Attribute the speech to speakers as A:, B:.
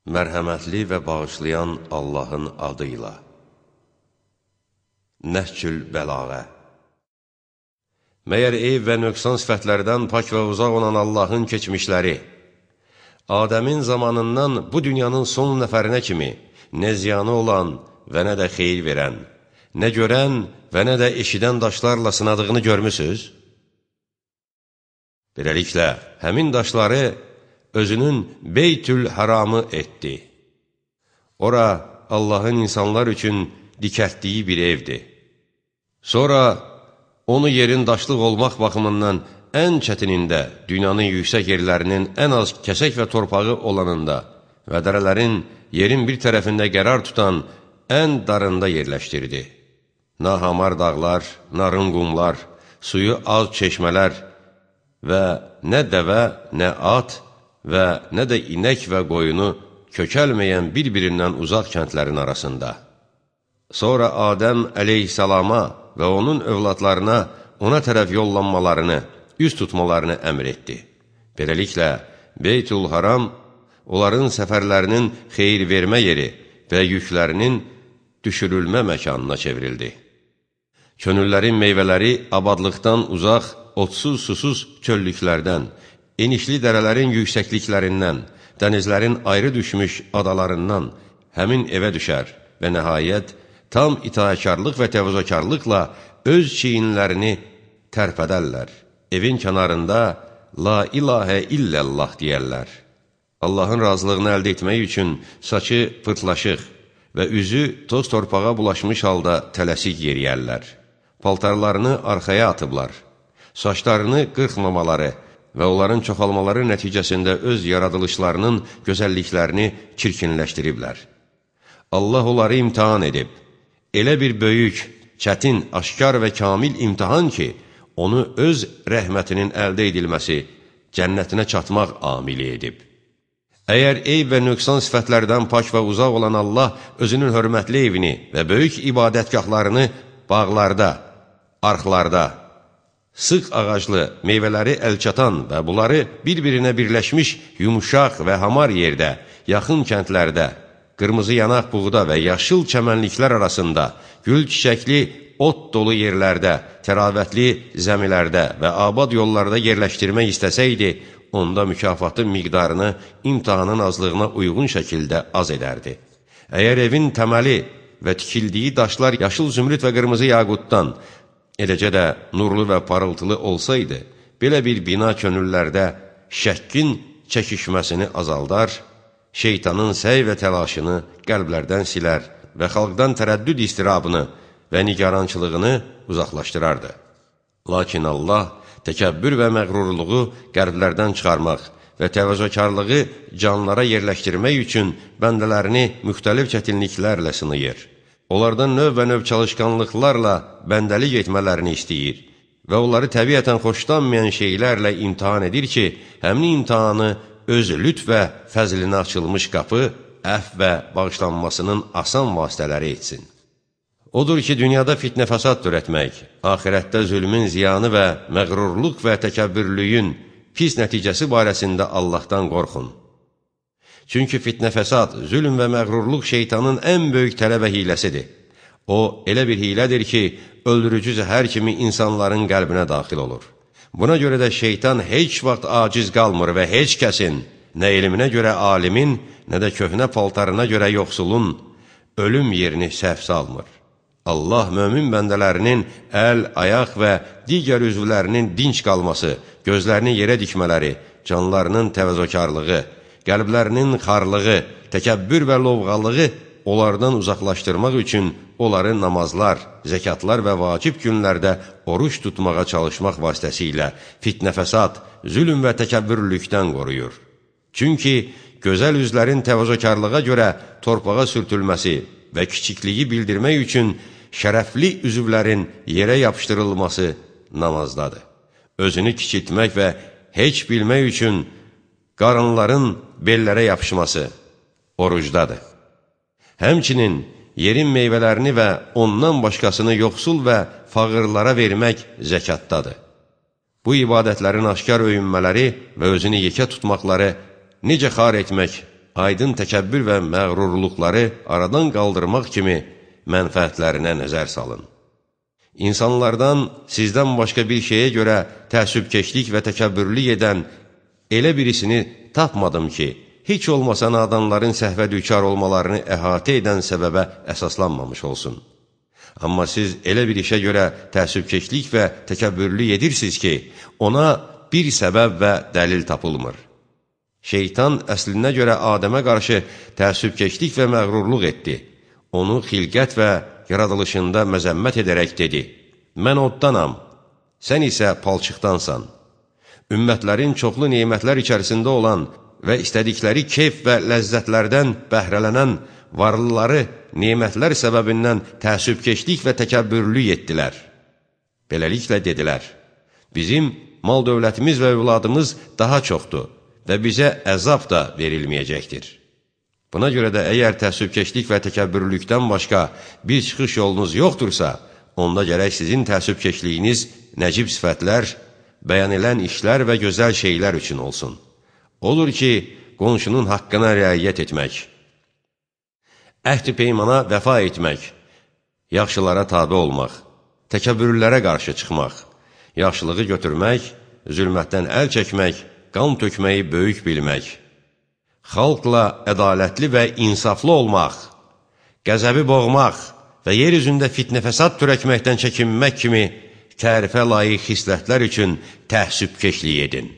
A: Mərhəmətli və bağışlayan Allahın adıyla. Nəhcül Bəlağə. Məyər eyb və nöqsan sifətlərdən pak və uzaq olan Allahın keçmişləri, Adəmin zamanından bu dünyanın son nəfərinə kimi nə ziyanı olan və nə də xeyir verən, nə görən və nə də eşidən daşlarla sınadığını görmüsünüz? Beləliklə, həmin daşları özünün Beytül Haramı etdi. Ora Allahın insanlar üçün dikəltdiyi bir evdir. Sonra onu yerin daşlıq olmaq baxımından ən çətinində, dünyanın yüksək yerlərinin ən az kəsək və torpağı olanında və dərələrin yerin bir tərəfində qərar tutan ən darında yerləşdirdi. Nahamar dağlar, narın qumlar, suyu az çeşmələr və nə dəvə, nə at və nə də inək və qoyunu kökəlməyən bir-birindən uzaq kəndlərin arasında. Sonra Adəm əleyhissalama və onun övladlarına ona tərəf yollanmalarını, üz tutmalarını əmr etdi. Beləliklə, Beytül Haram onların səfərlərinin xeyir vermə yeri və yüklərinin düşürülmə məkanına çevrildi. Könüllərin meyvələri abadlıqdan uzaq, otsuz, susuz çöllüklərdən, enişli dərələrin yüksəkliklərindən, dənizlərin ayrı düşmüş adalarından həmin evə düşər və nəhayət tam itaəkarlıq və təvazökarlıqla öz çiyinlərini tərpədərlər. Evin kənarında La ilahə illəllah deyərlər. Allahın razılığını əldə etmək üçün saçı pırtlaşıq və üzü toz torpağa bulaşmış halda tələsik yeriyərlər. Paltarlarını arxaya atıblar. Saçlarını qırxmamaları və onların çoxalmaları nəticəsində öz yaradılışlarının gözəlliklərini çirkinləşdiriblər. Allah onları imtihan edib. Elə bir böyük, çətin, aşkar və kamil imtihan ki, onu öz rəhmətinin əldə edilməsi, cənnətinə çatmaq amili edib. Əgər eyb və nöqsan sifətlərdən pak və uzaq olan Allah özünün hörmətli evini və böyük ibadətgahlarını bağlarda, arxlarda, sıx ağaclı, meyvələri əlçatan və bunları bir-birinə birləşmiş yumuşaq və hamar yerdə, yaxın kəndlərdə, qırmızı yanaq buğda və yaşıl çəmənliklər arasında, gül çiçəkli, ot dolu yerlərdə, təravətli zəmilərdə və abad yollarda yerləşdirmək istəsəydi, onda mükafatın miqdarını imtihanın azlığına uyğun şəkildə az edərdi. Əgər evin təməli və tikildiyi daşlar yaşıl zümrüd və qırmızı yaqutdan, eləcə də nurlu və parıltılı olsaydı, belə bir bina könüllərdə şəkkin çəkişməsini azaldar, şeytanın səy və təlaşını qəlblərdən silər və xalqdan tərəddüd istirabını və nigarançılığını uzaqlaşdırardı. Lakin Allah təkəbbür və məğrurluğu qəlblərdən çıxarmaq və təvazökarlığı canlara yerləşdirmək üçün bəndələrini müxtəlif çətinliklərlə sınayır. Onlardan növ və növ çalışqanlıqlarla bəndəlik etmələrini istəyir və onları təbiətən xoşlanmayan şeylərlə imtihan edir ki, həmin imtihanı öz lütf və fəzlinə açılmış qapı, əfv və bağışlanmasının asan vasitələri etsin. Odur ki, dünyada fitnə fəsad törətmək, axirətdə zülmün ziyanı və məğrurluq və təkəbbürlüyün pis nəticəsi barəsində Allahdan qorxun. Çünki fitnə fəsad, zülm və məğrurluq şeytanın ən böyük tələ və hiləsidir. O, elə bir hilədir ki, öldürücü zəhər kimi insanların qəlbinə daxil olur. Buna görə də şeytan heç vaxt aciz qalmır və heç kəsin, nə elminə görə alimin, nə də köhnə paltarına görə yoxsulun ölüm yerini səhv salmır. Allah mömin bəndələrinin əl, ayaq və digər üzvlərinin dinç qalması, gözlərini yerə dikmələri, canlarının təvazökarlığı, qəlblərinin xarlığı, təkəbbür və lovğalığı onlardan uzaqlaşdırmaq üçün onları namazlar, zəkatlar və vacib günlərdə oruç tutmağa çalışmaq vasitəsilə fitnə fəsad, zülm və təkəbbürlükdən qoruyur. Çünki gözəl üzlərin təvazökarlığa görə torpağa sürtülməsi və kiçikliyi bildirmək üçün şərəfli üzvlərin yerə yapışdırılması namazdadır. Özünü kiçiltmək və heç bilmək üçün qarınların bellərə yapışması orucdadır. Həmçinin yerin meyvələrini və ondan başqasını yoxsul və fağırlara vermək zəkatdadır. Bu ibadətlərin aşkar öyünmələri və özünü yekə tutmaqları necə xar etmək, aydın təkəbbür və məğrurluqları aradan qaldırmaq kimi mənfəətlərinə nəzər salın. İnsanlardan sizdən başqa bir şeyə görə təəssübkeşlik və təkəbbürlük edən elə birisini tapmadım ki, heç olmasa nadanların səhvə düçar olmalarını əhatə edən səbəbə əsaslanmamış olsun. Amma siz elə bir işə görə təəssübkeşlik və təkəbbürlük edirsiniz ki, ona bir səbəb və dəlil tapılmır. Şeytan əslinə görə Adəmə qarşı təəssübkeşlik və məğrurluq etdi. Onu xilqət və yaradılışında məzəmmət edərək dedi: mən oddanam, sən isə palçıqdansan. Ümmətlərin çoxlu nemətlər içərisində olan və istədikləri keyf və ləzzətlərdən bəhrələnən varlıları nemətlər səbəbindən təəssübkeşlik və təkəbbürlük etdilər. Beləliklə dedilər: bizim mal dövlətimiz və övladımız daha çoxdur və bizə əzab da verilməyəcəkdir. Buna görə də əgər təəssübkeşlik və təkəbbürlükdən başqa bir çıxış yolunuz yoxdursa, onda gərək sizin təəssübkeşliyiniz nəcib sifətlər, bəyan elən işlər və gözəl şeylər üçün olsun. Olur ki, qonşunun haqqına riayət etmək, əhd-i peymana vəfa etmək, yaxşılara tabe olmaq, təkəbbürlərə qarşı çıxmaq, yaxşılığı götürmək, zülmətdən əl çəkmək, qan tökməyi böyük bilmək, xalqla ədalətli və insaflı olmaq, qəzəbi boğmaq və yer üzündə fitnə-fəsad törətməkdən çəkinmək kimi tərifə layiq xislətlər üçün təəssübkeşlik edin.